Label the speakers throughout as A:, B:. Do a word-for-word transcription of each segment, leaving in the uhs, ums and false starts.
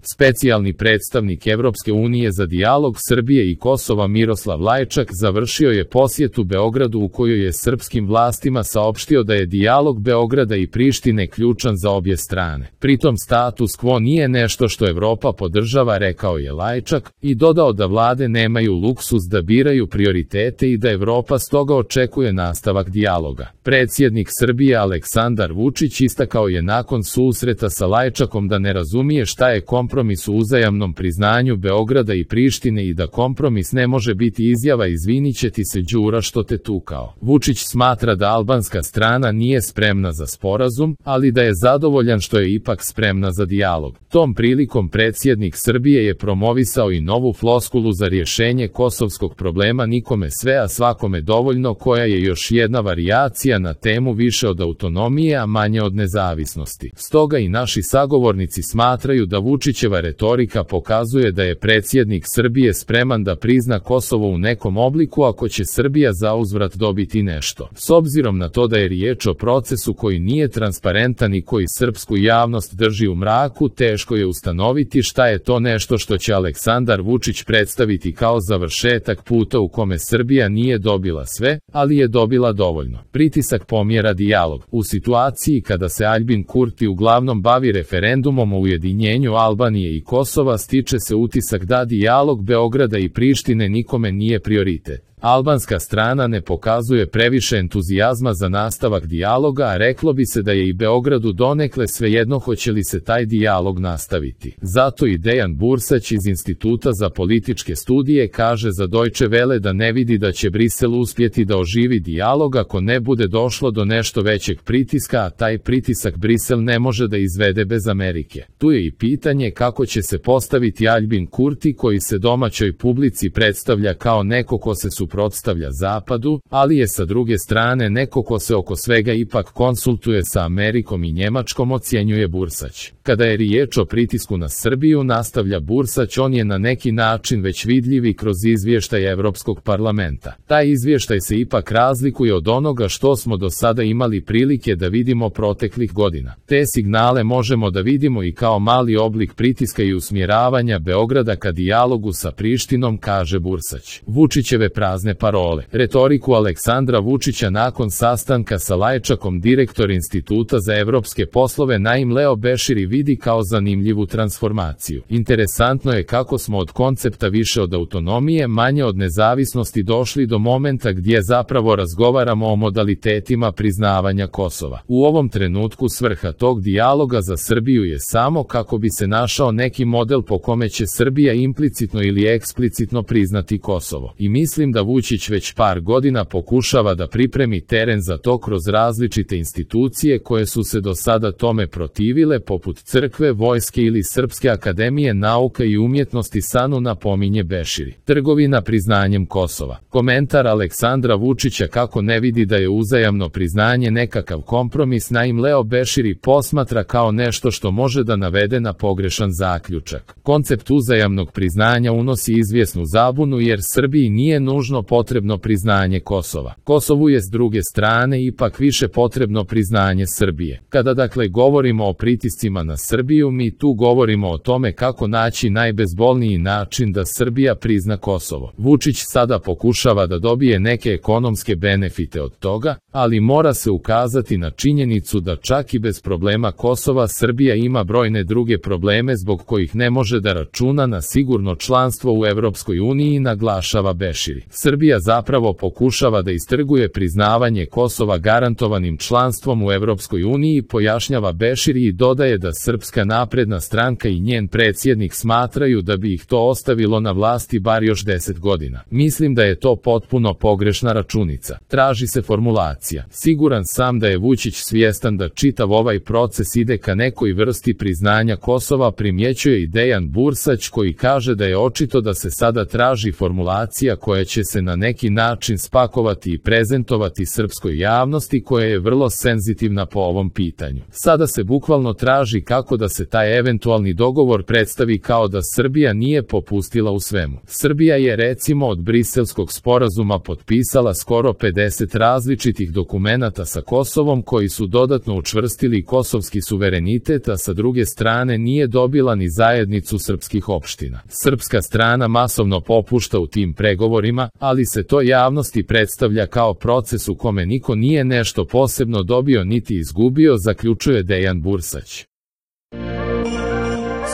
A: Specijalni predstavnik Evropske unije za dijalog Srbije i Kosova Miroslav Lajčak završio je posjetu Beogradu u kojoj je srpskim vlastima saopštio da je dijalog Beograda i Prištine ključan za obje strane. Pritom status quo nije nešto što Evropa podržava, rekao je Lajčak, i dodao da vlade nemaju luksuz da biraju prioritete i da Evropa stoga očekuje nastavak dijaloga. Predsjednik Srbije Aleksandar Vučić istakao je nakon susreta sa Lajčakom da ne razumije šta je kompromis u uzajamnom priznanju Beograda i Prištine i da kompromis ne može biti izjava izviniće ti se Đura što te tukao. Vučić smatra da albanska strana nije spremna za sporazum, ali da je zadovoljan što je ipak spremna za dijalog. Tom prilikom predsjednik Srbije je promovisao i novu floskulu za rješenje kosovskog problema nikome sve a svakome dovoljno, koja je još jedna varijacija na temu više od autonomije a manje od nezavisnosti. Stoga i naši sagovornici smatraju da Vučićeva retorika pokazuje da je predsjednik Srbije spreman da prizna Kosovo u nekom obliku ako će Srbija zauzvrat dobiti nešto. S obzirom na to da je riječ o procesu koji nije transparentan i koji srpsku javnost drži u mraku, teško je ustanoviti šta je to nešto što će Aleksandar Vučić predstaviti kao završetak puta u kome Srbija nije dobila sve, ali je dobila dovoljno. Pritisak pomjera dijalog. U situaciji kada se Aljbin Kurti uglavnom bavi referendumom o ujedinjenju Albanije i Kosova, stiče se utisak da dijalog Beograda i Prištine nikome nije prioritet. Albanska strana ne pokazuje previše entuzijazma za nastavak dijaloga, a reklo bi se da je i Beogradu donekle svejedno hoće li se taj dijalog nastaviti. Zato i Dejan Bursać iz Instituta za političke studije kaže za Deutsche Welle da ne vidi da će Brisel uspjeti da oživi dijalog ako ne bude došlo do nešto većeg pritiska, a taj pritisak Brisel ne može da izvede bez Amerike. Tu je i pitanje kako će se postaviti Aljbin Kurti, koji se domaćoj publici predstavlja kao neko ko se suprotstavlja Zapadu, ali je sa druge strane neko ko se oko svega ipak konsultuje sa Amerikom i Njemačkom, ocjenjuje Bursać. Kada je riječ o pritisku na Srbiju, nastavlja Bursać, on je na neki način već vidljiv i kroz izvještaj Evropskog parlamenta. Taj izvještaj se ipak razlikuje od onoga što smo do sada imali prilike da vidimo proteklih godina. Te signale možemo da vidimo i kao mali oblik pritiska i usmjeravanja Beograda ka dijalogu sa Prištinom, kaže Bursać. Vučićeve prazne parole. Retoriku Aleksandra Vučića nakon sastanka sa Lajčakom direktor Instituta za evropske poslove Naim Leo Beširi vidi kao zanimljivu transformaciju. Interesantno je kako smo od koncepta više od autonomije, manje od nezavisnosti došli do momenta gdje zapravo razgovaramo o modalitetima priznavanja Kosova. U ovom trenutku svrha tog dijaloga za Srbiju je samo kako bi se našao neki model po kome će Srbija implicitno ili eksplicitno priznati Kosovo. I mislim da Vučić već par godina pokušava da pripremi teren za to kroz različite institucije koje su se do sada tome protivile, poput crkve, vojske ili Srpske akademije nauka i umjetnosti, SANU, napominje Beširi. Trgovina priznanjem Kosova. Komentar Aleksandra Vučića kako ne vidi da je uzajamno priznanje nekakav kompromis Naim Leo Beširi posmatra kao nešto što može da navede na pogrešan zaključak. Koncept uzajamnog priznanja unosi izvjesnu zabunu jer Srbiji nije nužno potrebno priznanje Kosova. Kosovu je s druge strane ipak više potrebno priznanje Srbije. Kada dakle govorimo o pritiscima na Srbiju, mi tu govorimo o tome kako naći najbezbolniji način da Srbija prizna Kosovo. Vučić sada pokušava da dobije neke ekonomske benefite od toga, ali mora se ukazati na činjenicu da čak i bez problema Kosova Srbija ima brojne druge probleme zbog kojih ne može da računa na sigurno članstvo u Evropskoj uniji, naglašava Beširi. Srbija zapravo pokušava da istrguje priznavanje Kosova garantovanim članstvom u Evropskoj uniji, pojašnjava Beširi i dodaje da Srpska napredna stranka i njen predsjednik smatraju da bi ih to ostavilo na vlasti bar još deset godina. Mislim da je to potpuno pogrešna računica. Traži se formulacija. Siguran sam da je Vučić svjestan da čitav ovaj proces ide ka nekoj vrsti priznanja Kosova, primjećuje i Dejan Bursać, koji kaže da je očito da se sada traži formulacija koja će se se na neki način spakovati i prezentovati srpskoj javnosti koja je vrlo senzitivna po ovom pitanju. Sada se bukvalno traži kako da se taj eventualni dogovor predstavi kao da Srbija nije popustila u svemu. Srbija je recimo od Briselskog sporazuma potpisala skoro pedeset različitih dokumenata sa Kosovom koji su dodatno učvrstili kosovski suverenitet, a sa druge strane nije dobila ni zajednicu srpskih opština. Srpska strana masovno popušta u tim pregovorima, ali se to javnosti predstavlja kao proces u kome niko nije nešto posebno dobio niti izgubio, zaključuje Dejan Bursać.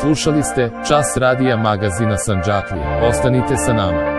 A: Slušali ste Čas radija magazina Sandžaklija. Ostanite sa nama.